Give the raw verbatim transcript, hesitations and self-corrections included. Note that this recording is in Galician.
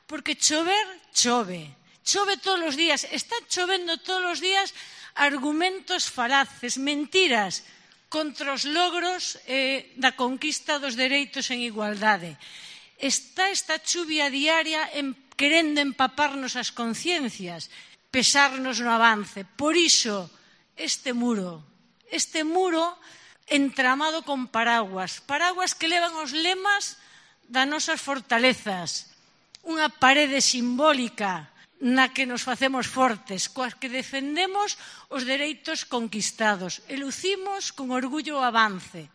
porque chover, chove. Chove todos os días. Está chovendo todos os días argumentos falaces, mentiras contra os logros eh, da conquista dos dereitos en igualdade. Está esta chuvia diaria en, querendo empaparnos as conciencias, pesarnos no avance. Por iso, este muro, este muro entramado con paraguas, paraguas que levan os lemas das nosas fortalezas, unha parede simbólica na que nos facemos fortes, coas que defendemos os dereitos conquistados e lucimos con orgullo o avance.